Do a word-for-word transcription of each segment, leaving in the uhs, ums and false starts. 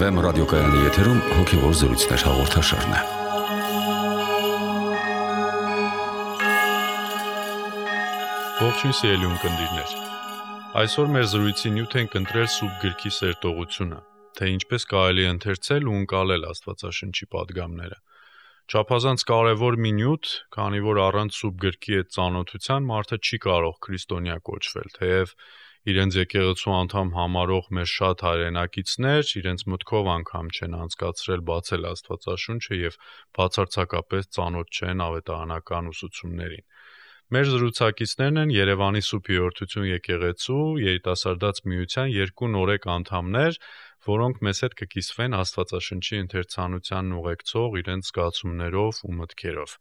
Վեմ ռադիոկայանի եթերում հոգևոր զրույցներ հաղորդաշարն է։ Ողջույն սիրելի ունկնդիրներ։ Այսօր մեր զրույցի նյութ ենք ընտրել Սուրբ Գրքի սերտողությունը, թե ինչպես կարելի է ընթերցել ու ընկալել Աստվածաշնչի պատգամները։ Չափազանց կարևոր մի նյութ, քանի որ առանց Սուրբ Գրքի այդ ծանոթության մարդը չի կարող քրիստոնյա կոչվել, թեև իրենց եկեղեցու անդամ համարող մեր շատ հայրենակիցներ իրենց մտքով անգամ չեն անցկացրել բացել Աստվածաշունչը եւ բացարձակապես ծանոթ չեն ավետարանական ուսուցումներին։ Մեր զրուցակիցներն են Երևանի Սուրբ Հիորդություն եկեղեցու երիտասարդաց միության երկու նորեկ անդամներ, որոնք մեզ հետ կկիսվեն Աստվածաշնչի ընթերցանությանն ուղեկցող իրենց զգացումներով ու մտքերով։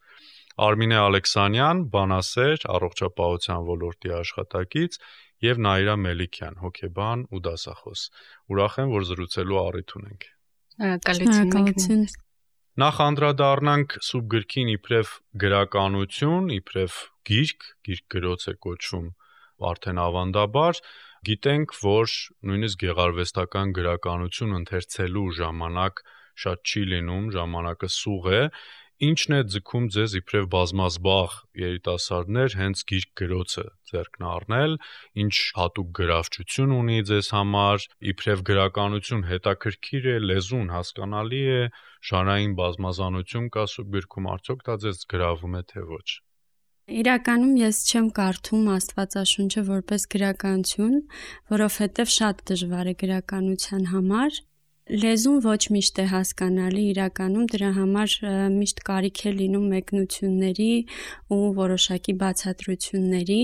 Արմինե Ալեքսանյան, բանասեր, առողջապահության ոլորտի աշխատակից, եւ Նաիրա Մելիքյան, հոգեբան ու դասախոս։ Ուրախ եմ, որ զրուցելու առիթ ունենք։ Շնորհակալություն։ Նախ անդրադառնանք Սուրբ Գրքին իբրև գրականություն, իբրև գիրք, գիրք գրոց է կոչվում արդեն ավանդաբար, գիտենք, որ նույնիսկ գեղարվեստական գրականություն ընթերցելու ժամանակ շատ չի լինում, ժամանակը սուղ է, ինչն է ձգում ձեզ իբրև բազմազբաղ երիտասարդներ հենց գիրք գրոցը ձեռքն առնել, ինչ հատուկ գրավչություն ունի ձեզ համար, իբրև գրականություն հետաքրքիր է, լեզուն հասկանալի է, ժանրային բազմազանություն կա Սուրբ Գրքում, արդյոք դա ձեզ գրավում է թե ոչ։ Իրականում ես չեմ կարդում Աստվածաշունչը որպես գրականություն, որովհետև շատ դժվար է գրականության համար։ Լեզուն ոչ միշտ է հասկանալի, իրականում դրա համար միշտ կարիք է լինում մեկնությունների ու որոշակի բացատրությունների։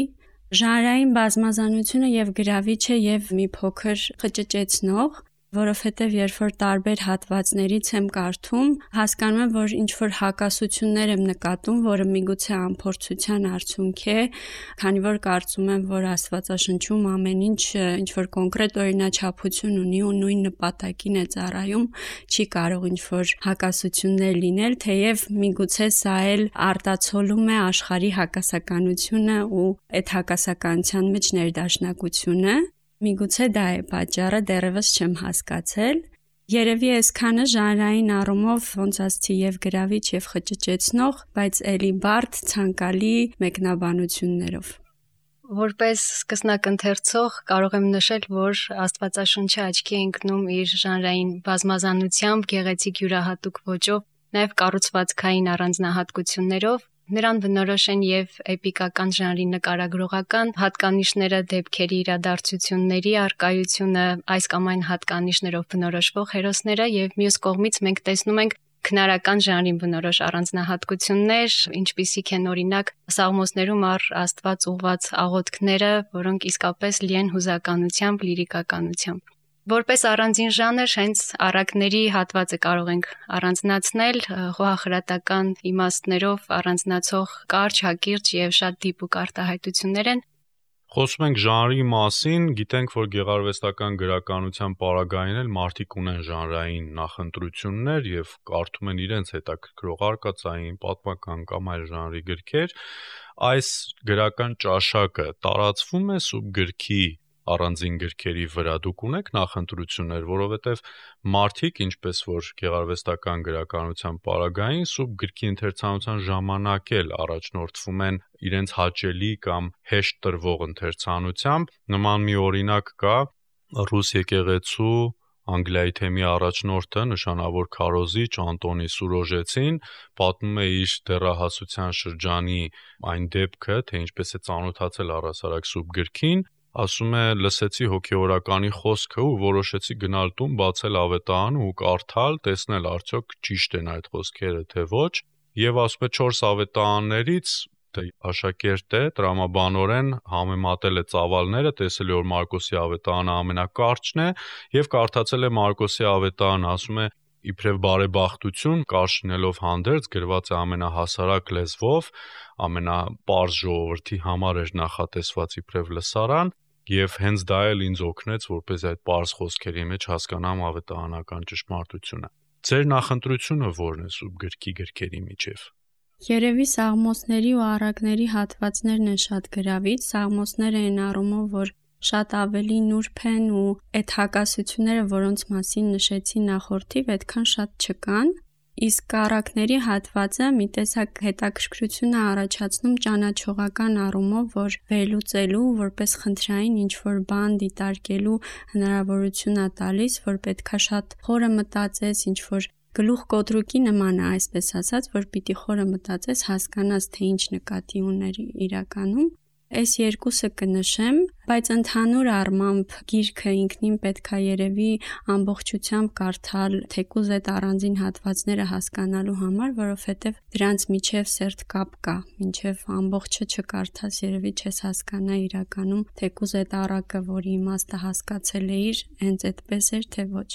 Ժանրային բազմազանությունը եւ գրավիչ է եւ մի փոքր խճճեցնող, որովհետև երբ որ տարբեր հատվածներից եմ կարդում, հասկանում եմ, որ ինչ որ հակասություններ եմ նկատում, որը միգուցե անփորձության արդյունք է, քանի որ կարծում եմ, որ Աստվածաշնչում ամեն ինչ ինչ որ կոնկրետ օրինաչափություն ունի ու նույն նպատակին է ծառայում, չի կարող ինչ որ հակասություններ լինել, թեև միգուցե սա էլ արտացոլում է աշխարհի հակասականությունը ու այդ հակասականության մեջ ներդաշնակությունը։ Միգուցե դա է պատճառը, դեռևս չեմ հասկացել։ Երևի այսքանը ժանրային առումով ոնց ասցի եւ գրավիչ եւ խճճեցնող, բայց ելի բարդ, ցանկալի մեկնաբանություններով։ Որպես սկսնակ ընթերցող կարող եմ նշել, որ Աստվածաշունչը աչքի է ընկնում իր ժանրային բազմազանությամբ, գեղեցիկ յուրահատուկ ոճով, նաեւ կառուցվածքային առանձնահատկություններով։ Նրան բնորոշ են եւ էպիկական ժանրի նկարագրողական հատկանիշները, դեպքերի իրադարձությունների առկայությունը, այս կամ այն հատկանիշներով բնորոշվող հերոսները եւ մյուս կողմից մենք տեսնում ենք քնարական ժանրին բնորոշ առանձնահատկություններ, ինչպիսիք են օրինակ Սաղմոսներում առ Աստված ուղված աղոթքները, որոնք իսկապես լի են հուզականությամբ, լիրիկականությամբ։ Որպես առանձին ժանր հենց առակների հատվածը կարող ենք առանձնացնել խոհախրատական իմաստներով առանձնացող կարճ, հակիրճ եւ շատ դիպուկ արտահայտություններ են։ Խոսում ենք ժանրի մասին, գիտենք, որ գեղարվեստական գրականության պարագային էլ մարդիկ ունեն ժանրային նախընտրություններ եւ կարդում են իրենց հետաքրքրող արկածային, պատմական կամ այլ ժանրի գրքեր։ Այս գրական ճաշակը տարածվում է Սուրբ Գրքի առանձին գրքերի վրա, դուք ունեք նախընտրություններ, որովհետև մարդիկ, ինչպես որ գեղարվեստական գրականության պարագային, Սուրբ Գրքի ընթերցանության ժամանակ էլ առաջնորդվում են իրենց հաճելի կամ հեշտ տրվող ընթերցանությամբ։ Նման մի օրինակ կա ռուս եկեղեցու Անգլիայի թեմի առաջնորդը, նշանավոր քարոզիչ Անտոնի Սուրոժեցին, պատմում է իր դեռահասության շրջանի այն դեպքը, թե ինչպես է ծանոթացել առհասարակ Սուրբ Գրքին, ասում է, լսեցի հոգեորականի խոսքը ու որոշեցի գնալ տուն, բացել ավետարանը ու կարդալ, տեսնել արդյոք ճիշտ են այդ խոսքերը թե ոչ, եւ ասում է չորս ավետարաններից աշակերտ է, տրամաբանորեն համեմատել է ծավալները, տեսել է, որ Մարկոսի ավետարանը ամենակարճն է եւ կարդացել է Մարկոսի ավետարանը, ասում է իբրև բարեբախտություն, կարճնելով հանդերձ գրված է ամենահասարակ լեզվով, ամենապարզ ժողովրդի համար էր նախատեսված իբրև լսարան, եւ հենց դա էլ ինձ օգնեց, որպես այդ պարզ խոսքերի մեջ հասկանամ ավետարանական ճշմարտությունը։ Ձեր նախընտրությունը ո՞րն է Սուրբ Գրքի գրքերի միջև։ Երևի Սաղմոսների ու առակների հատվածներն են շատ գրավիչ, Սաղմոսները այն առումով, որ շատ ավելի նուրբ են ու այդ հակասությունները, որոնց մասին նշեցի նախորդիվ, այդքան շատ չկան։ Իսկ առակների հատվածը մի տեսակ հետաքրքրություն է առաջացնում ճանաչողական առումով, որ վերլուծելու, որպես խնդրային ինչ-որ բան դիտարկելու հնարավորություն է տալիս, որ պետքա շատ խորը մտածես, ինչ-որ գլուխ կոտրուկի նման է, այսպես ասած, որ պիտի խորը մտածես, հասկանաս, թե ինչ նկատի ուներ իրականում։ Այս երկուսը կնշեմ, բայց ընդհանուր առմամբ գիրքը ինքնին պետքա երևի ամբողջությամբ կարդալ, թեկուզ այդ առանձին հատվածները հասկանալու համար, որովհետև դրանց միջև սերտ կապ կա, մինչև ամբողջը չկարդաս, երևի չես հասկանա իրականում, թեկուզ այդ առակը, որի իմաստը հասկացել էիր, հենց այդպես էր, թե ոչ։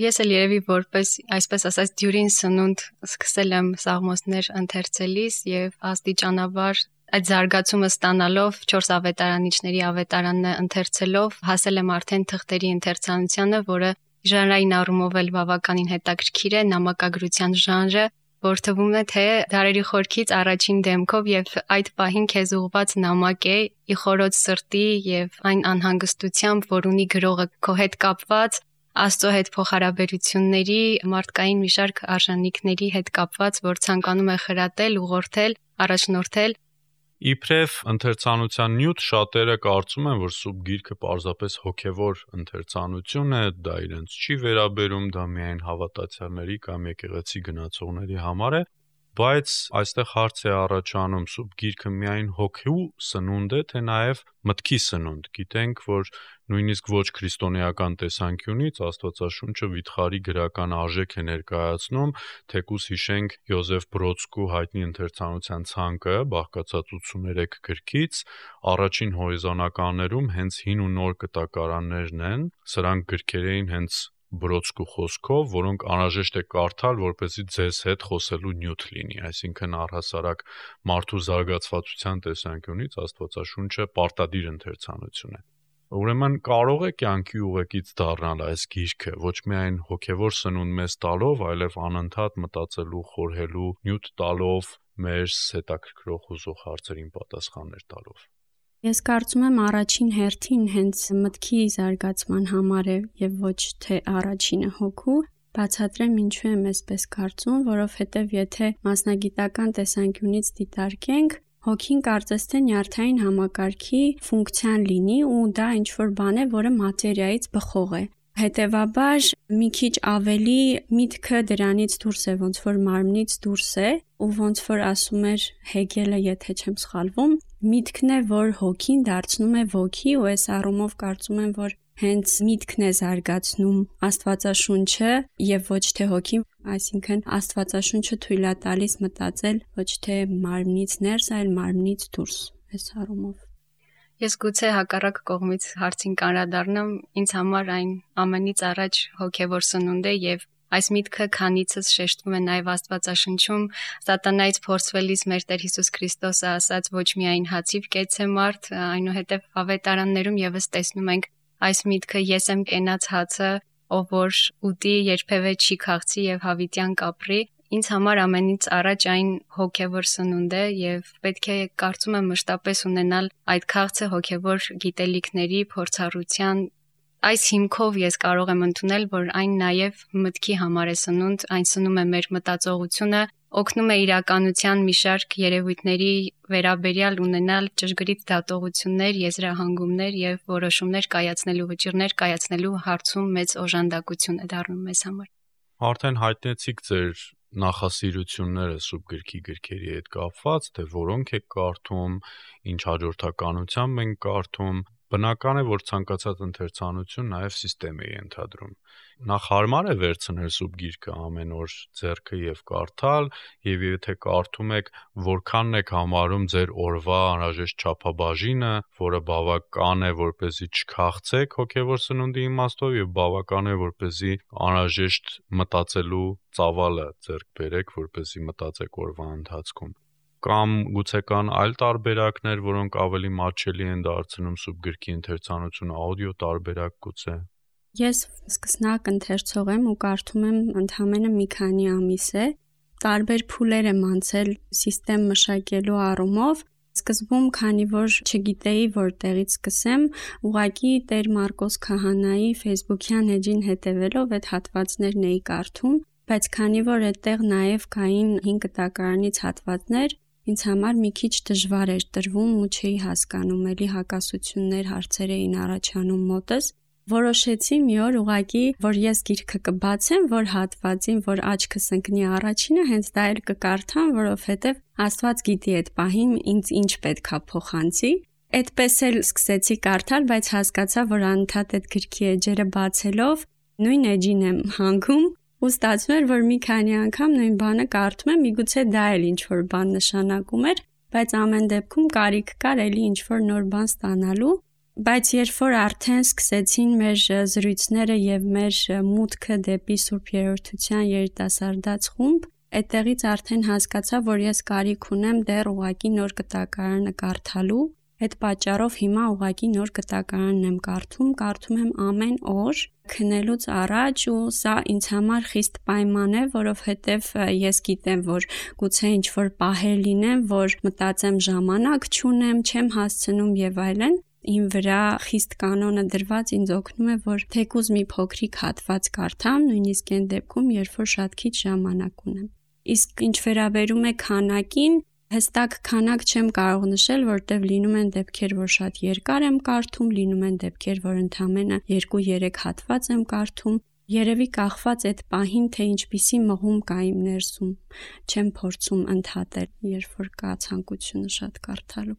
Ես էլ երևի որպես, այսպես ասած, դյուրին սնունդ սկսել եմ Սաղմոսներ ընթերցելիս եւ աստիճանաբար այդ զարգացումը ստանալով չորս ավետարանիչների ավետարանը ընթերցելով հասել եմ արդեն թղթերի ընթերցանությանը, որը ժանրային առումով էլ բավականին հետաքրքիր է, նամակագրության ժանրը, որ թվում է թե դարերի խորքից առաջին դեմքով եւ այդ պահին քեզ ուղված նամակ է ի խորոց սրտի եւ այն անհանգստությամբ, որ ունի գրողը քո հետ կապված Աստծո հետ փոխհարաբերությունների, մարդկային մի շարք արժանինքների հետ կապված, որ ցանկանում է խրատել, ուղղորդել, առաջնորդել։ Իբրև ընթերցանության նյութ շատերը կարծում են, որ սուրբ գիրքը պարզապես հոգևոր ընթերցանություն է, դա իրենց չի վերաբերում, դա միայն հավատացյալների կամ եկեղեցի գնացողների համար է, բայց այստեղ հարց է առաջանում սուրբ գիրքը միայն հոգու սնունդ է, թե նաև մտքի սնունդ։ Գիտենք, որ նույնիսկ ոչ քրիստոնեական տեսանկյունից Աստվածաշունչը վիթխարի գրական արժեք է ներկայացնում, թեկուզ հիշենք Յոզեֆ Բրոդսկու հայտնի ընթերցանության ցանկը, բաղկացած ութսուներեք գրքից, առաջին հորիզոնականներում հենց հին ու նոր կտակարաններն են, սրանք գրքեր էին հենց Բրոդսկու խոսքով, որոնք անհրաժեշտ է կարդալ, որպեսզի ձեզ հետ խոսելու նյութ լինի, այսինքն առհասարակ մարդու զարգացվածության տեսանկյունից Աստվածաշունչը պարտադիր ընթերցանություն է։ Ուրեմն կարող է կյանքի ուղեկից դառնալ այս գիրքը, ոչ միայն հոգևոր սնունդ մեզ տալով, այլև անընդհատ մտածելու, խորհելու, նյութ տալով, մեր հետաքրքրող հուզող հարցերին պատասխաններ տալով։ Ես կարծում եմ առաջին հերթին հենց մտքի զարգացման համար է եւ ոչ թե առաջինը հոգու, բացատրեմ ինչու եմ այսպես կարծում, որովհետեւ եթե մասնագիտական տեսանկյունից դիտարկենք, հոգին կարծես թե նյարդային համակարգի ֆունկցիան լինի ու դա ինչ-որ բան է, որը մատերիայից բխող է։ Հետևաբար մի քիչ ավելի միտքը դրանից դուրս է, ոնց որ մարմնից դուրս է, ու ոնց որ ասում էր Հեգելը, եթե չեմ սխալվում, միտքն է, որ հոգին դարձնում է ոգի, ու այս առումով կարծում եմ, որ հենց միտքն է զարգացնում Աստվածաշունչը եւ ոչ թե հոգին, այսինքն Աստվածաշունչը թույլ է տալիս մտածել ոչ թե մարմնից ներս, այլ մարմնից դուրս, այս առումով։ Ես գուցե հակառակ կողմից հարցին կանրադառնամ, ինձ համար այն ամենից առաջ հոգևոր սնունդ է եւ այս միտքը քանիցս շեշտվում է նաեւ Աստվածաշնչում, սատանայից փորձվելիս մեր Տեր Հիսուս Քրիստոսը ասաց ոչ միայն հացիվ կեցե մարդ, այնուհետեւ ավետարաններում եւս տեսնում ենք այս միտքը ես եմ կենաց հացը, ով որ ուտի երբևէ չի քաղցի եւ հավիտյան կապրի։ Ինձ համար ամենից առաջ այն հոգևոր սնունդ է եւ պետք է կարծում եմ մշտապես ունենալ այդ քաղցը հոգևոր գիտելիքների, փորձառության։ Այս հիմքով ես կարող եմ ընդունել, որ այն նաեւ մտքի համար է սնունդ, այն սնում է մեր մտածողությունը, օգնում է իրականության մի շարք երևույթների վերաբերյալ ունենալ ճշգրիտ դատողություններ, եզրահանգումներ եւ որոշումներ կայացնելու, վճիռներ կայացնելու հարցում մեծ օժանդակություն է դառնում մեզ համար։ Արդեն հայտնեցիք ձեր նախասիրությունները սուրբ գրքի գրքերի հետ կապված, թե որոնք եք կարդում, ինչ հաջորդականությամբ ենք կարդում, բնական է, որ ցանկացած ընթերցանություն նաև սիստեմ է ենթադրում։ Նախ հարմար է վերցնել սուրբ գիրքը ամեն օր ձեռքը եւ կարդալ, եւ եթե կարդում եք, որքանն եք համարում ձեր օրվա անհրաժեշտ չափաբաժինը, որը բավական է, որպեսզի չքաղցեք հոգեվոր սնունդի իմաստով եւ բավական է, որպեսզի անհրաժեշտ մտածելու ծավալը ձեռք բերեք, որպեսզի մտածեք օրվա ընթացքում։ Կամ գուցե կան այլ տարբերակներ, որոնք ավելի մատչելի են դարձնում սուրբ գրքի ընթերցանությունը, աուդիո տարբերակ գուցե։ Ես սկսնակ ընթերցող եմ ու կարդում եմ ընդամենը մի քանի ամիս է։ Տարբեր փուլեր եմ անցել սիստեմ մշակելու առումով, Սկզբում, քանի որ չգիտեի որտեղից սկսեմ, ուղղակի Տեր Մարկոս Քահանայի Facebook-յան էջին հետևելով այդ հատվածներն էի կարդում, բայց քանի որ այդտեղ նաև կային հինգ տակարանից հատվածներ, ինձ համար մի քիչ դժվար էր տրվում ու չէի հասկանում, էլի հակասություններ, հարցեր էին առաջանում մոտս։ Որոշեցի մի օր ուղղակի, որ ես գիրքը կբացեմ, որ հատվածին, որ աչքս ընկնի առաջինը, հենց դա էլ կկարդամ, որովհետև Աստված գիտի այդ պահին ինձ ինչ պետք է փոխանցի։ Այդպես էլ սկսեցի կարդալ, բայց հասկացա, որ անընդհատ այդ գրքի էջերը բացելով նույն էջին եմ հանգում ու ստացվում էր, որ մի քանի անգամ նույն բանը կարդում եմ, միգուցե դա էլ ինչ-որ բան նշանակում էր, բայց ամեն դեպքում կարիք կար էլի ինչ-որ նոր բան ստանալու։ Բայց երբ որ արդեն սկսեցին մեր զրույցները եւ մեր մուտքը դեպի Սուրբ Երրորդության երիտասարդաց խումբ, այդտեղից արդեն հասկացա, որ ես կարիք ունեմ դեռ ուղակի նոր կտակարանը կարդալու։ Այդ պատճառով հիմա ուղակի նոր կտակարանն եմ կարդում, կարդում եմ ամեն օր քնելուց առաջ ու սա ինձ համար խիստ պայման է, որովհետև ես գիտեմ, որ գուցե ինչ-որ պահեր լինեն, որ մտածեմ ժամանակ չունեմ, չեմ հասցնում եւ այլն։ Իմ վրա խիստ կանոնը դրված ինձ օգնում է, որ թեկուզ մի փոքրիկ հատված կարդամ, նույնիսկ այն դեպքում, երբ որ շատ քիչ ժամանակ ունեմ։ Իսկ ինչ վերաբերում է քանակին, հստակ քանակ չեմ կարող նշել, որտեղ լինում են դեպքեր, որ շատ երկար եմ կարդում, լինում են դեպքեր, որ ընդամենը երկու-երեք հատված եմ կարդում, երևի կախված այդ պահին, թե ինչպիսի մղում կա իմ ներսում, չեմ փորձում ընդհատել, երբ որ կա ցանկությունը շատ կարդալու։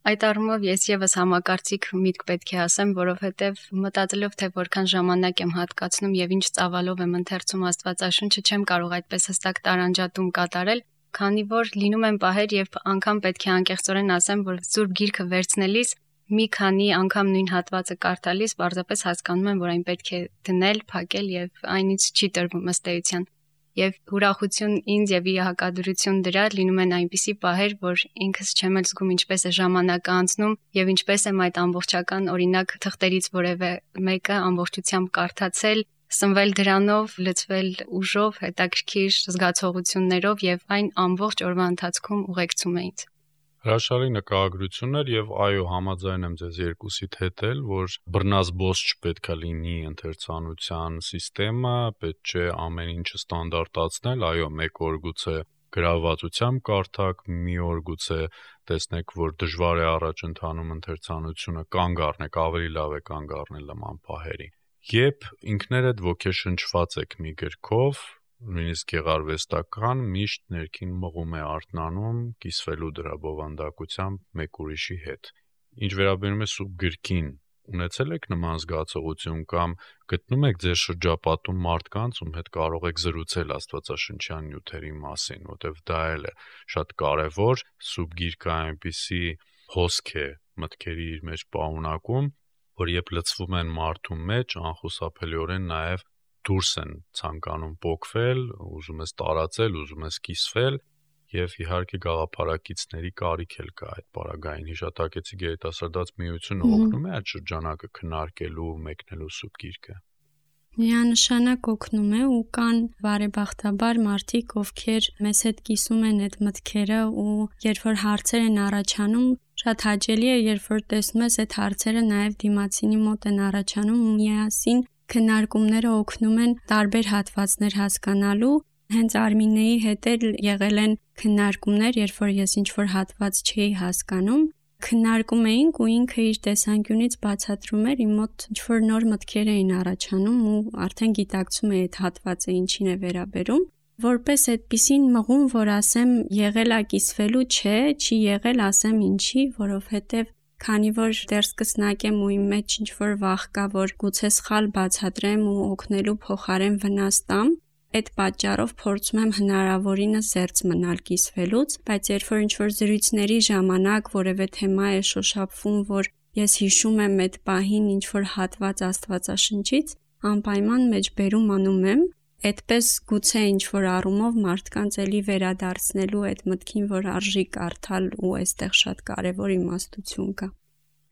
Այդ առումով ես եւս համակարծիք միտք պետք է ասեմ, որովհետեւ մտածելով թե որքան ժամանակ եմ հատկացնում եւ ինչ ծավալով եմ ընթերցում Աստվածաշունչը, չեմ կարող այդպես հստակ տարանջատում կատարել, քանի որ լինում են պահեր, երբ անգամ պետք է անկեղծորեն ասեմ, որ Սուրբ Գիրքը վերցնելիս մի քանի անգամ նույն հատվածը կարդալիս պարզապես հասկանում եմ, որ այն պետք է դնել, փակել եւ այնից չի տրվում ըստ էության։ Եվ ուրախություն ինձ եւ ի հակադրություն դրա լինում են այնպիսի պահեր, որ ինքս չեմ էլ զգում ինչպես է ժամանակը անցնում եւ ինչպես եմ այդ ամբողջական օրինակ թղթերից որևէ մեկը ամբողջությամբ կարդացել, սնվել դրանով, լցվել ուժով, հետաքրքիր զգացողություններով եւ այն ամբողջ օրվա ընթացքում ուղեկցում է ինձ։ Հրաշալի նկարագրություն էր եւ այո, համաձայն եմ ձեզ երկուսիդ հետ էլ, որ բռնազբոս չպետք է լինի ընթերցանության համակարգը, պետք չէ ամեն ինչը ստանդարտացնել, այո, մեկ օր գուցե գրավվածությամբ կարդաք, մի օր գուցե տեսնեք, որ դժվար է առաջ ընթանում ընթերցանությունը, կանգ առնեք, ավելի լավ է կանգ առնել նման պահերի։ Երբ ինքներդ ոգեշնչված եք մի գրքով, նույնիսկ գեղարվեստական, միշտ ներքին մղում է արթնանում կիսվելու դրա բովանդակությամբ մեկ ուրիշի հետ։ Ինչ վերաբերում է Սուրբ Գրքին, ունեցել եք նման զգացողություն կամ գտնում եք ձեր շրջապատում մարդկանց, ում հետ կարող եք զրուցել աստվածաշնչյան նյութերի մասին, որտեղ դա էլ է շատ կարևոր։ Սուրբ Գիրքը այնպիսի հոսք է մտքերի իր մեջ պարունակում, որ երբ լցվում են մարդու մեջ, անխուսափելիորեն նաև դուրս են ցանկանում պոկվել, ուզում ես տարածել, ուզում ես կիսվել եւ իհարկե գաղափարակիցների կարիք էլ կա այդ պարագային հիշատակեցի գերիտասարդաց միությունը օգնում է այդ շրջանակը քննարկելու, մեկնելու Սուրբ Գիրքը։ Միանշանակ օգնում է ու կան բարեբախտաբար մարդիկ, ովքեր մեզ հետ կիսում են այդ մտքերը ու երբ որ հարցեր են առաջանում, շատ հաճելի է, երբ որ տեսնում ես այդ հարցերը նաև դիմացինի մոտ են առաջանում ու միասին քննարկումները օգնում են տարբեր հատվածներ հասկանալու։ Հենց Արմինեի հետ էլ եղել են քննարկումներ, երբ որ ես ինչ-որ հատված չէի հասկանում, քննարկում էինք ու ինքը իր տեսանկյունից բացատրում էր, իմ մոտ ինչ-որ նոր մտքեր էին առաջանում ու արդեն գիտակցում էի այդ հատվածը ինչին է վերաբերում, որպես այդպիսին մղում, որ ասեմ եղել է կիսվելու, չէ, չի եղել, ասեմ ինչի, որովհետև քանի որ դեռ սկսնակ եմ ու իմ մեջ ինչ-որ վախ կա, որ գուցե սխալ բացատրեմ ու օգնելու փոխարեն վնաս տամ, այդ պատճառով փորձում եմ հնարավորինս զերծ մնալ կիսվելուց, բայց երբ որ ինչ-որ զրույցների ժամանակ որևէ թեմա է շոշափվում, որ ես հիշում եմ այդ պահին ինչ-որ հատված Աստվածաշնչից, անպայման մեջբերում անում եմ, այդպես գուցե ինչ-որ առումով մարդկանց էլի վերադարձնելու այդ մտքին, որ արժի կարդալ ու այստեղ շատ կարևոր իմաստություն կա։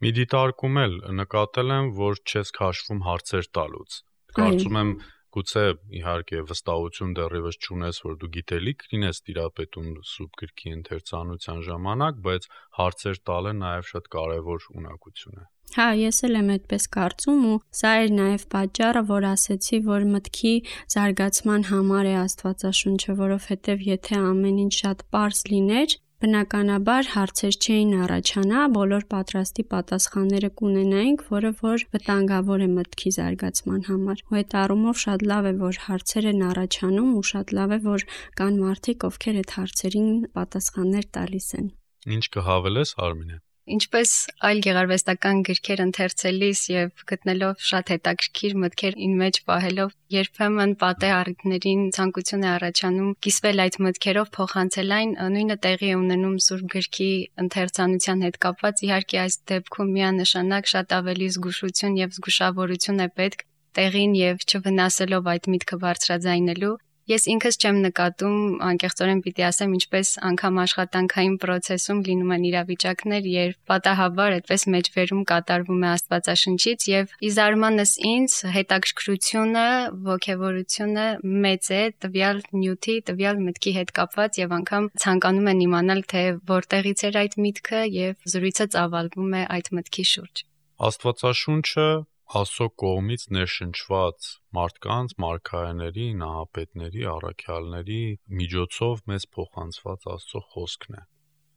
Մի դիտարկում էլ նկատել եմ, որ չես քաշվում հարցեր տալուց։ Կարծում եմ Գուցե իհարկե վստահություն դեռևս չունես, որ դու գիտելիք լինես տիրապետում սուրբ գրքի ընթերցանության ժամանակ, բայց հարցեր տալը նաև շատ կարևոր ունակություն է։ Հա, ես էլ եմ այդպես կարծում ու սա էր նաև պատճառը, որ ասեցի, որ մտքի զարգացման համար է Աստվածաշունչը, որովհետև եթե ամեն ինչ շատ պարզ լիներ, բնականաբար հարցեր չէին առաջանա, բոլոր պատրաստի պատասխանները կունենայինք, որը որ վտանգավոր է մտքի զարգացման համար։ Ու այդ առումով շատ լավ է, որ հարցեր են առաջանում ու շատ լավ է, որ կան մարդիկ, ովքեր այդ հարցերին պատասխաններ տալիս են։ Ինչ կհավելես, Արմինե։ Ինչպես այլ գեղարվեստական գրքեր ընթերցելիս եւ գտնելով շատ հետաքրքիր մտքեր ին մեջ պահելով, երբեմն պատե առիթներին ցանկություն է առաջանում կիսվել այդ մտքերով, փոխանցել այն, նույնը տեղի է ունենում սուրբ գրքի ընթերցանության հետ կապված։ Իհարկե այս դեպքում միանշանակ շատ ավելի զգուշություն եւ զգուշավորություն է պետք տեղին եւ չվնասելով այդ միտքը բարձրաձայնելու։ Ես ինքս չեմ նկատում, անկեղծորեն պիտի ասեմ, ինչպես անգամ աշխատանքային process-ում լինում են իրավիճակներ, երբ պատահաբար այդպես մեջբերում կատարվում է Աստվածաշնչից եւ ի զարմանս ինձ հետաքրքրությունը, ոգևորությունը մեծ է տվյալ նյութի, տվյալ մտքի հետ կապված եւ անգամ ցանկանում են իմանալ, թե որտեղից էր այդ միտքը եւ զրույցը ծավալվում է այդ մտքի շուրջ։ Աստվածաշունչը Աստծո կողմից ներշնչված մարդկանց, մարգարեների, նահապետների, առաքյալների միջոցով մեզ փոխանցված Աստծո խոսքն է։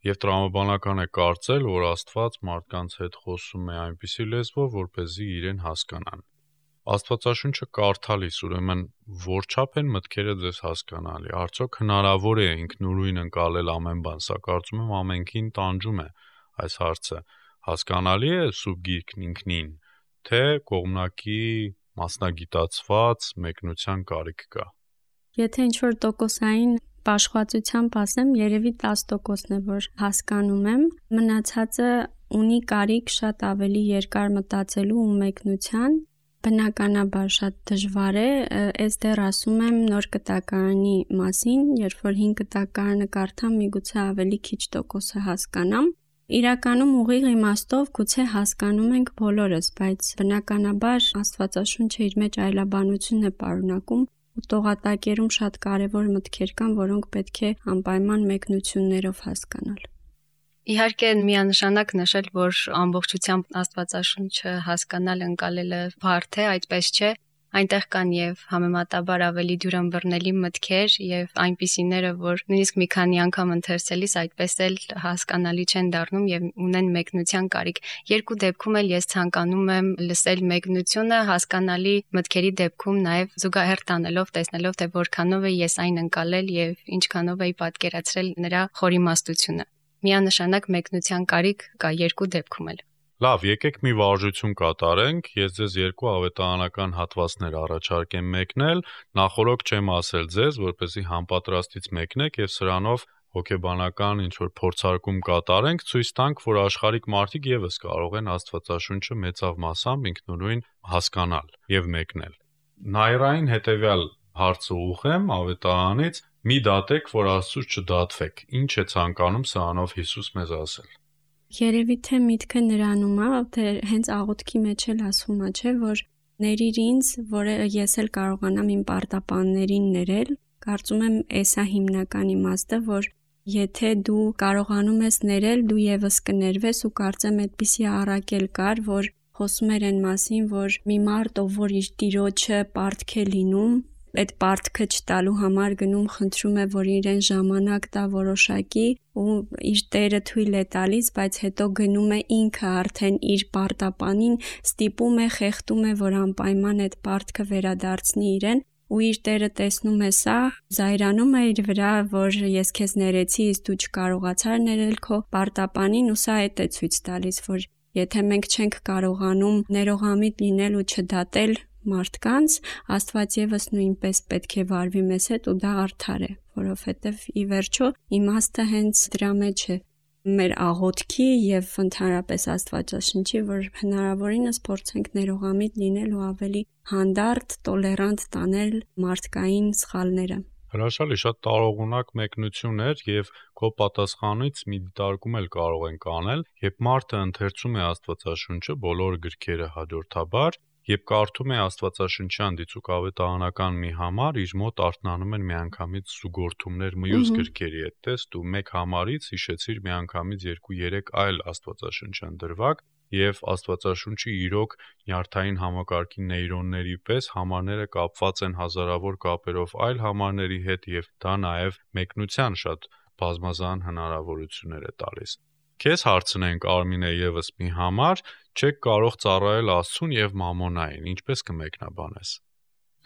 Եվ տրամաբանական է կարծել, որ Աստված մարդկանց հետ խոսում է այնպիսի լեզվով, որպեսզի իրեն հասկանան։ Աստվածաշունչը կարդալիս, ուրեմն որչափ են մտքերը ձեզ հասկանալի։ Արդյոք հնարավոր է ինքնուրույն ընկալել ամեն բան, սա կարծում եմ ամենքին տանջում է այս հարցը։ Հասկանալի է սուրբ գիրքն ինքնին, թե կողմնակի մասնագիտացված մեկնության կարիք կա։ Եթե ինչ-որ տոկոսային պաշխվածությամբ ասեմ, երևի տասը տոկոսն է, որ հասկանում եմ, մնացածը ունի կարիք շատ ավելի երկար մտածելու ու մեկնության, բնականաբար շատ դժվար է, ես դեռ ասում եմ նոր կտակարանի մասին, երբ որ հին կտակարանը կարդամ, միգուցե ավելի քիչ տոկոսը հասկանամ։ Իրականում ուղիղ իմաստով գուցե հասկանում ենք բոլորս, բայց բնականաբար Աստվածաշունչը իր մեջ այլաբանություն է պարունակում ու տողատակերում շատ կարևոր մտքեր կան, որոնք պետք է անպայման մեկնություններով հասկանալ։ Իհարկե միանշանակ նշել, որ ամբողջությամբ Աստվածաշունչը հասկանալ ընկալելը բարդ է, այդպես չէ, այնտեղ կան եւ համեմատաբար ավելի դյուրըմբռնելի մտքեր եւ այնպիսիները, որ նույնիսկ մի քանի անգամ ընթերցելիս այդպես էլ հասկանալի չեն դառնում եւ ունեն մեկնության կարիք։ Երկու դեպքում էլ ես ցանկանում եմ լսել մեկնությունը, հասկանալի մտքերի դեպքում նաեւ զուգահեռ տանելով, տեսնելով թե որքանով է ես այն ընկալել եւ ինչքանով էի պատկերացրել նրա խորիմաստությունը։ Միանշանակ մեկնության կարիք կա երկու դեպքում էլ։ Լավ, եկեք մի վարժություն կատարենք, ես ձեզ երկու ավետարանական հատվածներ առաջարկեմ մեկնել, նախորոք չեմ ասել ձեզ, որպեսզի համապատրաստից մեկնեք եւ սրանով հոգեբանական ինչ-որ փորձարկում կատարենք, ցույց տանք, որ աշխարհիկ մարդիկ եւս կարող են Աստվածաշունչը մեծավ մասամբ ինքնուրույն հասկանալ եւ մեկնել։ Նայրային հետեւյալ հարցը ուղղեմ ավետարանից, մի դատեք, որ Աստծուց չդատվեք։ Ինչ է ցանկանում սրանով Հիսուս մեզ ասել։ Երևի թե միտքը նրանում է, թե հենց աղոթքի մեջ էլ ասվում է, չէ, որ ներիր ինձ, որ ես էլ կարողանամ իմ պարտապաններին ներել։ Կարծում եմ, էսա հիմնական իմաստը, որ եթե դու կարողանում ես ներել, դու եւս կներվես ու կարծեմ այդպիսի առակել կար, որ խոսում էր այն մասին, որ մի մարդ, ով որ իր տիրոջը պարտք է լինում, այդ պարտքը չտալու համար գնում խնդրում է, որ իրեն ժամանակ տա որոշակի ու իր տերը թույլ է տալիս, բայց հետո գնում է ինքը արդեն իր պարտապանին, ստիպում է, խեղդում է, որ անպայման այդ պարտքը վերադարձնի իրեն ու իր տերը տեսնում է սա, զայրանում է իր վրա, որ ես քեզ ներեցի, իսկ դու չկարողացար ներել քո պարտապանին ու սա այդ է ցույց տալիս, որ եթե մենք չենք կարողանում ներողամիտ լինել ու չդատել մարդկանց, Աստված եւս նույնպես պետք է վարվի մեզ հետ ու դա արդար է, որովհետեւ ի վերջո իմաստը հենց դրա մեջ է մեր աղոթքի եւ ընդհանրապես Աստվածաշնչի, որ հնարավորինս փորձենք ներողամիտ լինել ու ավելի հանդարտ, տոլերանտ տանել մարդկային սխալները։ Հրաշալի, շատ տարողունակ մեկնություն էր եւ քո պատասխանից մի դիտարկում էլ կարող ենք անել, երբ մարդը ընթերցում է Աստվածաշունչը, բոլոր գրքերը հաջորդաբար Երբ կարդում է աստվածաշնչյան դիցուկավետարանական մի համար, իր մոտ արթնանում են միանգամից զուգորդումներ մյուս գրքերի հետ, տեստ ու մեկ համարից հիշեցիր միանգամից երկու երեք այլ աստվածաշնչյան դրվագ, եւ Աստվածաշունչի իրոք նյարդային համակարգի նեյրոնների պես համարները կապված են հազարավոր կապերով այլ համարների հետ եւ դա նաեւ մեկնության շատ բազմազան հնարավորություններ է տալիս։ Քեզ հարցնենք Արմինե եւս մի համար, չեք կարող ծառայել Աստծուն եւ մամոնային, ինչպես կմեկնաբանես։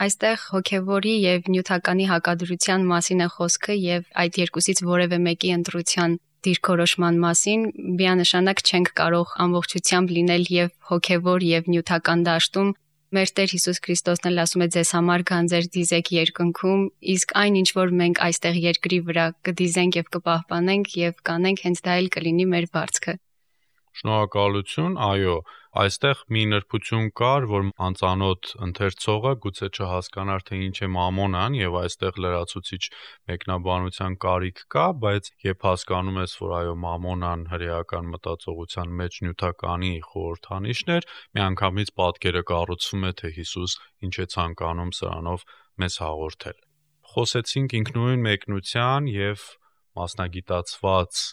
Այստեղ հոգևորի եւ նյութականի հակադրության մասին է խոսքը եւ այդ երկուսից որևէ մեկի ընտրության դիրքորոշման մասին միանշանակ չենք կարող ամբողջությամբ լինել եւ հոգևոր եւ նյութական դաշտում։ Մեր Տեր Հիսուս Քրիստոսն էլ ասում է ձեզ համար գանձեր դիզեք երկնքում, իսկ այն ինչ որ մենք այստեղ երկրի վրա կդիզենք եւ կպահպանենք եւ կանենք, հենց դա էլ կլինի մեր վարձքը։ Շնորհակալություն, այո, այստեղ մի նրբություն կար, որ անծանոթ ընթերցողը գուցե չհասկանար, թե ինչ է մամոնան եւ այստեղ լրացուցիչ մեկնաբանության կարիք կա, բայց երբ հասկանում ես, որ այո, մամոնան հրեական մտածողության մեջ նյութականի խորհրդանիշն էր, միանգամից պատկերը կառուցվում է, թե Հիսուս ինչ է ցանկանում սրանով մեզ հաղորդել։ Խոսեցինք ինքնուրույն մեկնության եւ մասնագիտացված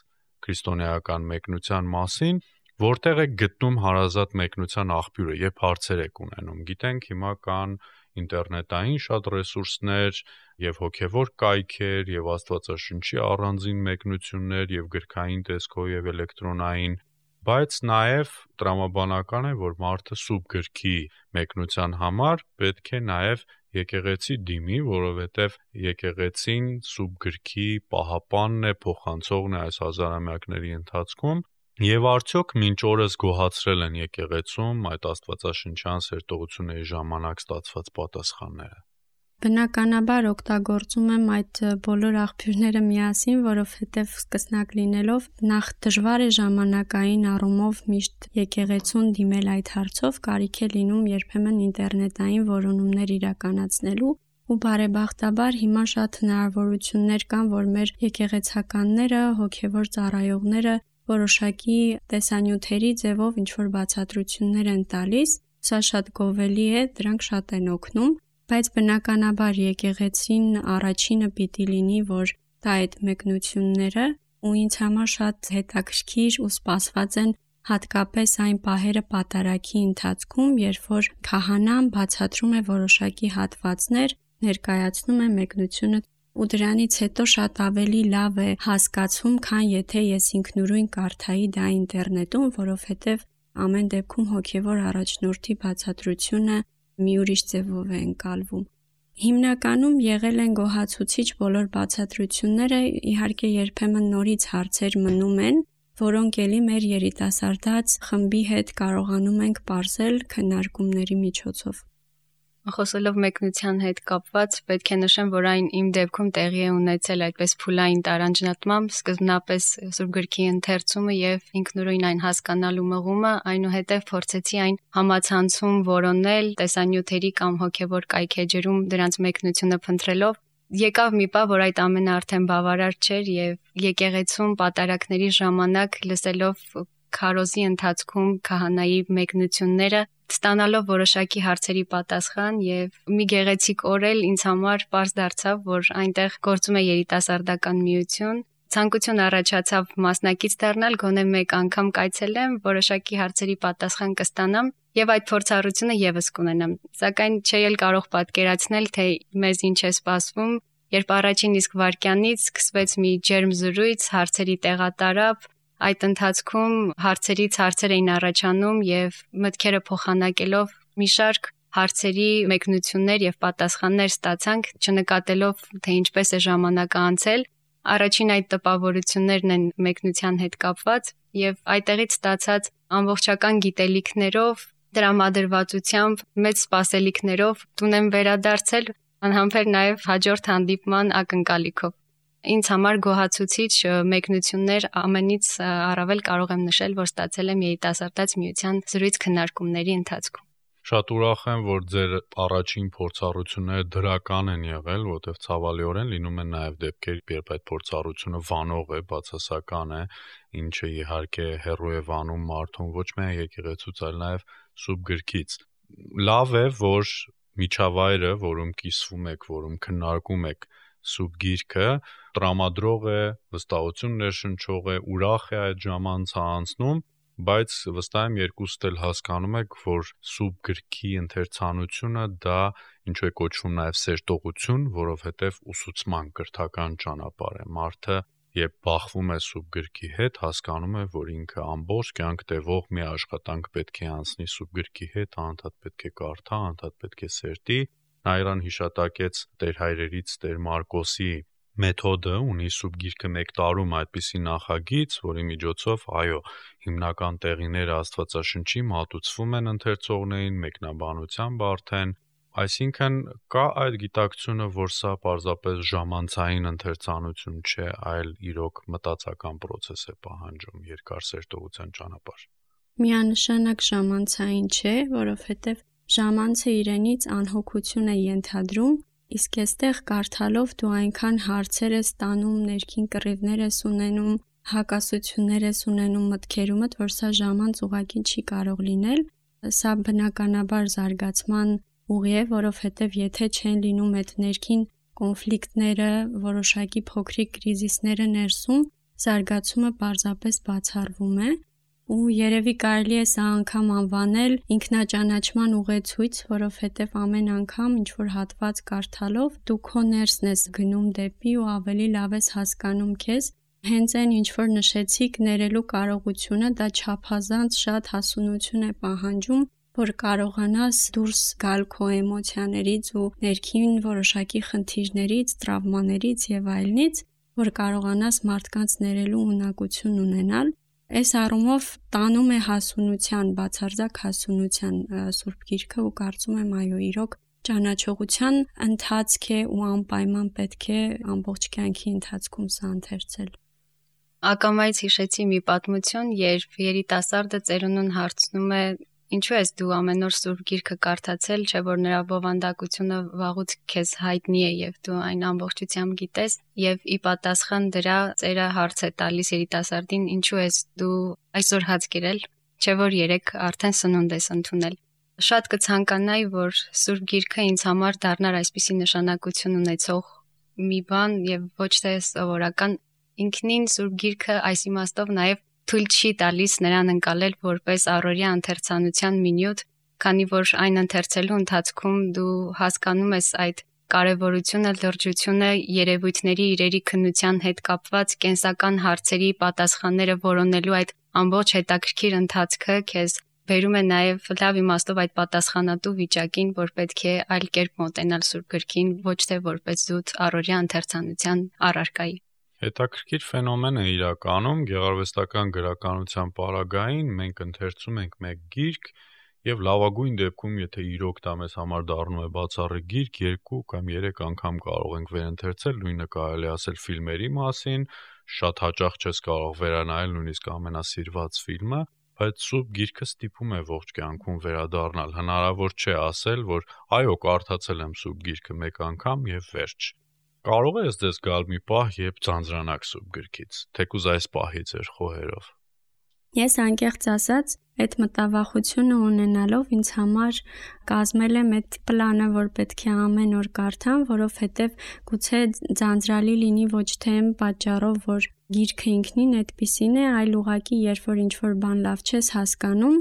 քրիստոնեական մեկնության մասին, որտեղ է գտնում հարազատ մեկնության աղբյուրը, երբ հարցեր եք ունենում։ Գիտենք հիմա կան ինտերնետային շատ ռեսուրսներ եւ հոգեվոր կայքեր եւ Աստվածաշնչի առանձին մեկնություններ եւ գրքային տեսքով եւ էլեկտրոնային, բայց նաեւ տրամաբանական է, որ մարդը սուբ գրքի մեկնության համար պետք է նաեւ եկեղեցի դիմի, որովհետև եկեղեցին սուբ գրքի պահապանն է, փոխանցողն է այս հազարամյակների ընթացքում, եւ արդյոք մինչ օրս գոհացրել են եկեղեցում այդ աստվածաշնչյան սերտողությունների ժամանակ ստացված պատասխանները։ Բնականաբար օգտագործում եմ այդ բոլոր աղբյուրները միասին, որովհետև սկսնակ լինելով նախ դժվար է ժամանակային առումով միշտ եկեղեցուն դիմել այդ հարցով, կարիք է լինում երբեմն ինտերնետային որոնումներ իրականացնելու, ու բարեբախտաբար հիմա շատ հնարավորություններ կան, որ մեր եկեղեցականները, հոգևոր ծառայողները որոշակի տեսանյութերի ձևով ինչ-որ բացատրություններ են տալիս, սա շատ գովելի է, դրանք շատ են օգնում, բայց բնականաբար եկեղեցին առաջինը պիտի լինի, որ տա այդ մեկնությունները, ու ինձ համար շատ հետաքրքիր ու սպասված են հատկապես այն պահերը պատարագի ընթացքում, երբ որ քահանան բացատրում է որոշակի հատվածներ, ներկայացնում է մեկնությունը, ու դրանից հետո շատ ավելի լավ է հասկացվում, քան եթե ես ինքնուրույն կարդայի դա ինտերնետում, որովհետև ամեն դեպքում հոգևոր առաջնորդի բացատրությունը մի ուրիշ ձևով է ընկալվում։ Հիմնականում եղել են գոհացուցիչ բոլոր բացատրությունները, իհարկե երբեմն նորից հարցեր մնում են, որոնք էլի մեր երիտասարդաց խմբի հետ կարողանում ենք պարզել քննարկումների միջոցով։ Խոսելով մեկնության հետ կապված, պետք է նշեմ, որ այն իմ դեպքում տեղի է ունեցել այդպես փուլային տարանջնատմամբ, սկզբնապես Սուրբ գրքի ընթերցումը եւ ինքնուրույն այն հասկանալու մղումը, այնուհետև փորձեցի այն համացանցում որոնել, տեսանյութերի կամ հոգեվոր կայքեջերում դրանց մեկնությունը փնտրելով, եկավ մի պահ, որ այդ ամենը արդեն բավարար չէր եւ եկեղեցում պատարակների ժամանակ լսելով քարոզի ընթացքում քահանայի մեկնությունները, ստանալով որոշակի հարցերի պատասխան եւ մի գեղեցիկ օր էլ ինձ համար պարզ դարձավ, որ այնտեղ գործում է երիտասարդական միություն, ցանկություն առաջացավ մասնակից դառնալ, գոնե մեկ անգամ կայցելեմ, որոշակի հարցերի պատասխան կստանամ եւ այդ փորձառությունը եւս կունենամ։ Սակայն չէի էլ կարող պատկերացնել, թե մեզ ինչ է սպասվում, երբ առաջին իսկ վայրկյանից սկսվեց մի ջերմ զրույց, հարցերի տեղատարապ, այդ ընթացքում հարցերից հարցեր էին առաջանում եւ մտքերը փոխանակելով մի շարք հարցերի մեկնություններ եւ պատասխաններ ստացանք, չնկատելով թե ինչպես է ժամանակը անցել։ Առաջին այդ տպավորություններն են մեկնության հետ կապված եւ այդտեղից ստացած ամբողջական գիտելիքներով, դրամադրվածությամբ, մեծ սպասելիքներով տուն եմ վերադարձել, անհամբեր նաեւ հաջորդ հանդիպման ակնկալիքով։ Ինձ համար գոհացուցիչ մեկնություններ ամենից առավել կարող եմ նշել, որ ստացել եմ երիտասարդաց միության զրույց քննարկումների ընթացքում։ Շատ ուրախ եմ, որ ձեր առաջին փորձառությունները դրական են եղել, որտեղ ցավալիորեն լինում են նաև դեպքեր, երբ այդ փորձառությունը վանող է, բացասական է, ինչը իհարկե հեռու է վանում մարդուն ոչ միայն եկեղեցուց, այլ նաև սուրբ գրքից։ լավ է, որ միջավայրը, որում կիսվում եք, որում քննարկում եք սուրբ գիրքը, տրամադրող է, վստահություն ներշնչող է, ուրախ է այդ ժամանցը անցնում, բայց վստահ եմ երկուստ էլ հասկանում եք, որ սուրբ գրքի ընթերցանությունը դա ինչու է կոչվում նաև սերտողություն, որովհետև ուսուցման կրթական ճանապարհ է։ Մարդը երբ բախվում է սուրբ գրքի հետ, հասկանում է, որ ինքը ամբողջ կյանք տևող մի աշխատանք պետք է անցնի սուրբ գրքի հետ, անդադ պետք է կարդա, անդադ պետք է սերտի։ Նա իրան հիշատակեց Տեր հայրերից Տեր Մարկոսի մեթոդը, ունի սուրբ գիրքը մեկ տարում այդպիսի նախագիծ, որի միջոցով, այո, հիմնական տեղիները Աստվածաշնչի մատուցվում են ընթերցողներին, մեկնաբանությամբ արդեն, այսինքն կա այդ գիտակցությունը, որ սա պարզապես ժամանցային ընթերցանություն չէ, այլ իրոք մտածական պրոցես է պահանջում, երկար սերտողության ճանապարհ։ Միանշանակ ժամանցային չէ, որովհետև ժամանցը իրենից անհոգություն է ենթադրում, իսկ այստեղ կարդալով դու այնքան հարցեր ես տանում, ներքին կռիվներ ես ունենում, հակասություններ ես ունենում մտքերումդ, որ սա ժամանց ուղղակի չի կարող լինել։ Սա բնականաբար զարգացման ուղի է, որովհետև եթե չեն լինում այդ ներքին կոնֆլիկտները, որոշակի փոքրիկ կրիզիսները ներսում, զարգացումը պարզապես բացառվում է։ Ու երևի կարելի է սա անգամ անվանել ինքնաճանաչման ուղեցույց, որովհետև ամեն անգամ ինչ որ հատված կարդալով դու քո ներսն ես գնում դեպի ու ավելի լավ ես հասկանում քեզ։ Հենց այն ինչ որ նշեցիք ներելու կարողությունը, դա չափազանց շատ հասունություն է պահանջում, որ կարողանաս դուրս գալ քո էմոցիաներից ու ներքին որոշակի խնդիրներից, տրավմաներից եւ այլնից, որ կարողանաս մարդկանց ներելու ունակություն ունենալ։ Այս առումով տանում է հասունության, բացարձակ հասունության Սուրբ Գիրքը ու կարծում եմ այո, իրոք ճանաչողության ընթացք է ու անպայման պետք է ամբողջ կյանքի ընթացքում սա ընթերցել։ Ակամայից հիշեցի մի պատմություն, երբ երիտասարդը ծերունուն հարցնում է. «Ինչու ես դու ամեն օր Սուրբ Գիրքը կարդացել, չէ՞ որ նրա բովանդակությունը վաղուց քեզ հայտնի է եւ դու այն ամբողջությամբ գիտես»։ Եվ ի պատասխան դրա ծերը հարց է տալիս երիտասարդին. «Ինչու ես դու այսօր հաց կերել, չէ՞ որ երեք արդեն սնունդ ես ընդունել»։ Շատ կցանկանայի, որ Սուրբ Գիրքը ինձ համար դառնար այսպիսի նշանակություն ունեցող մի բան եւ ոչ թե սովորական։ Ինքնին Սուրբ Գիրքը այս իմաստով նաեւ թույլ չի տալիս նրան ընկալել որպես առօրյա ընթերցանության մի նյութ, քանի որ այն ընթերցելու ընթացքում դու հասկանում ես այդ կարևորությունը, լրջությունը, երևույթների իրերի քննության հետ կապված կենսական հարցերի պատասխանները որոնելու այդ ամբողջ հետաքրքիր ընթացքը քեզ բերում է նաև լավ իմաստով այդ պատասխանատու վիճակին, որ պետք է այլ կերպ մոտենալ Սուրբ Գրքին, ոչ թե որպես զուտ առօրյա ընթերցանության առարկայի։ Հետաքրքիր ֆենոմեն է իրականում գեղարվեստական գրականության պարագային, մենք ընթերցում ենք մեկ գիրք եւ լավագույն դեպքում, եթե իրոք դա մեզ համար դառնում է բացառիկ գիրք, երկու կամ երեք անգամ կարող ենք վերընթերցել, նույնը կարելի ասել ֆիլմերի մասին, շատ հաճախ չես կարող վերանայել նույնիսկ ամենասիրված ֆիլմը, բայց Սուրբ Գիրքը ստիպում է ողջ կյանքում վերադառնալ։ Հնարավոր չէ ասել, որ այո, կարդացել եմ Սուրբ Գիրքը մեկ անգամ եւ վերջ։ Կարող է ես դες գալ մի պահ, երբ ձանձրանաք Սուրբ Գրքից, թեկուզ այս պահի ձեր խոհերով։ Ես անկեղծ ասած, այդ մտավախությունը ունենալով ինձ համար կազմել եմ այդ պլանը, որ պետք է ամեն օր կարդամ, որովհետև գուցե ձանձրալի լինի ոչ թե այն պատճառով, որ գիրքը ինքնին այդպիսին է, այլ ուղղակի երբ որ ինչ-որ բան լավ չես հասկանում,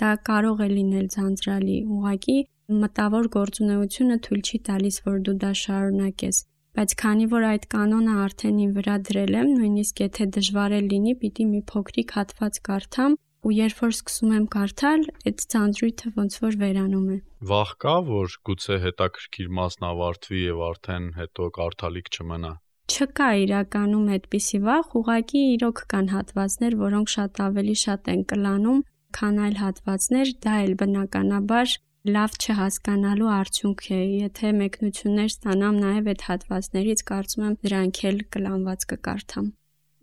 դա կարող է լինել ձանձրալի, ուղղակի մտավոր գործունեությունը թույլ չի տալիս, որ դու դա շարունակես։ Բայց քանի որ այդ կանոնը արդեն իմ վրա դրել եմ, նույնիսկ եթե դժվար է լինի, պիտի մի փոքրիկ հատված կարդամ, ու երբ որ սկսում եմ կարդալ, այդ ցանցրույթը ոնց որ վերանում է։ Վախ կա, որ գուցե հետաքրքիր մասն ավարտվի եւ արդեն հետո կարդալիք չմնա։ Չկա իրականում այդպիսի վախ, ուղղակի իրոք կան հատվածներ, որոնք շատ ավելի շատ են կլանում, քան այլ հատվածներ, դա էլ բնականաբար լավ չհասկանալու արդյունք է, եթե մեկնություններ ստանամ նաև այդ հատվածներից, կարծում եմ դրանք էլ կլանված կկարդամ։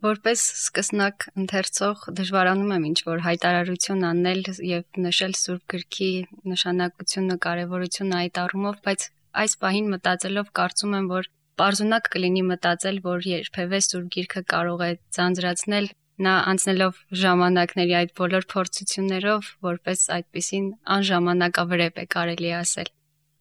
Որպես սկսնակ ընթերցող դժվարանում եմ ինչ-որ հայտարարություն անել եւ նշել Սուրբ Գրքի նշանակությունը, կարեւորությունը այդ առումով, բայց այս պահին մտածելով կարծում եմ, որ պարզունակ կլինի մտածել, որ երբևէ Սուրբ Գիրքը կարող է ձանձրացնել նա անցնելով ժամանակների այդ բոլոր փորձություններով, որպես այդպիսին անժամանակավրեպ է կարելի ասել։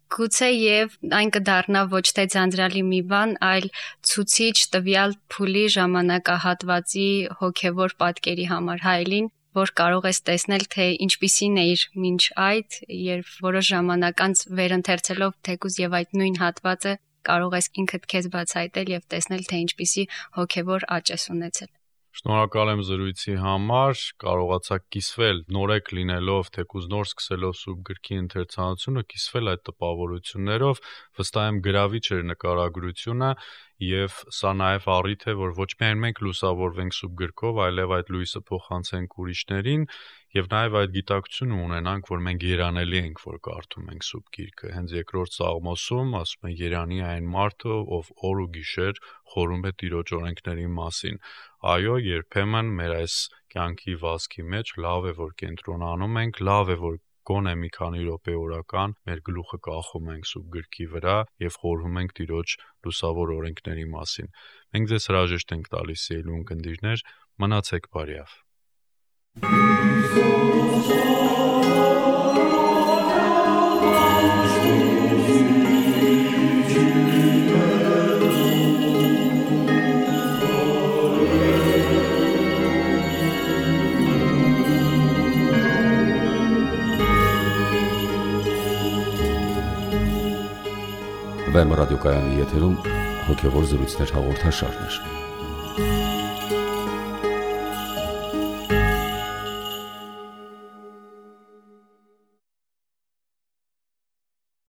Գուցե եւ այն կդառնա ոչ թե ձանձրալի մի բան, այլ ցուցիչ տվյալ փուլի ժամանակահատվածի հոգեվոր պատկերի համար հայելին, որ կարող ես տեսնել, թե ինչպիսին է իր մինչ այդ, երբ որոշ ժամանակ անց վերընթերցելով թեկուզ եւ այդ նույն հատվածը կարող ես ինքդ քեզ բացահայտել եւ տեսնել, թե ինչպիսի հոգեվոր աճ ես ունեցել։ Շնորհակալ եմ զրույցի համար, կարողացաք կիսվել նորեկ լինելով, թեկուզ նոր սկսելով սուրբ գրքի ընթերցանությունը, կիսվել այդ տպավորություններով, վստահ եմ գրավիչ էր նկարագրությունը եւ սա նաեւ առիթ է, որ ոչ միայն մենք լուսավորվենք սուրբ գրքով, այլև այդ լույսը փոխանցենք ուրիշներին եւ նաեւ այդ գիտակցությունը ունենանք, որ մենք երանելի ենք, որ կարդում ենք սուրբ գիրքը։ Հենց երկրորդ Սաղմոսում ասում է երանի այն մարդը, ով օր ու գիշեր խորում է Տիրոջ օրենքների մասին։ Այո, երբեմն մեր այս կյանքի վազքի մեջ լավ է, որ կենտրոնանում ենք, լավ է, որ գոնե մի քանի րոպե օրական մեր գլուխը կախում ենք սուրբ գրքի վրա եւ խորհում ենք Տիրոջ լուսավոր օրենքների մասին։ Մենք ձեզ հրաժեշտ ենք տալիս, սիրելի ունկնդիրներ, մնացեք բարյավ։ Վեմ ռադիոկայանի եթերում հոգևոր զրույցներ հաղորդաշարներ։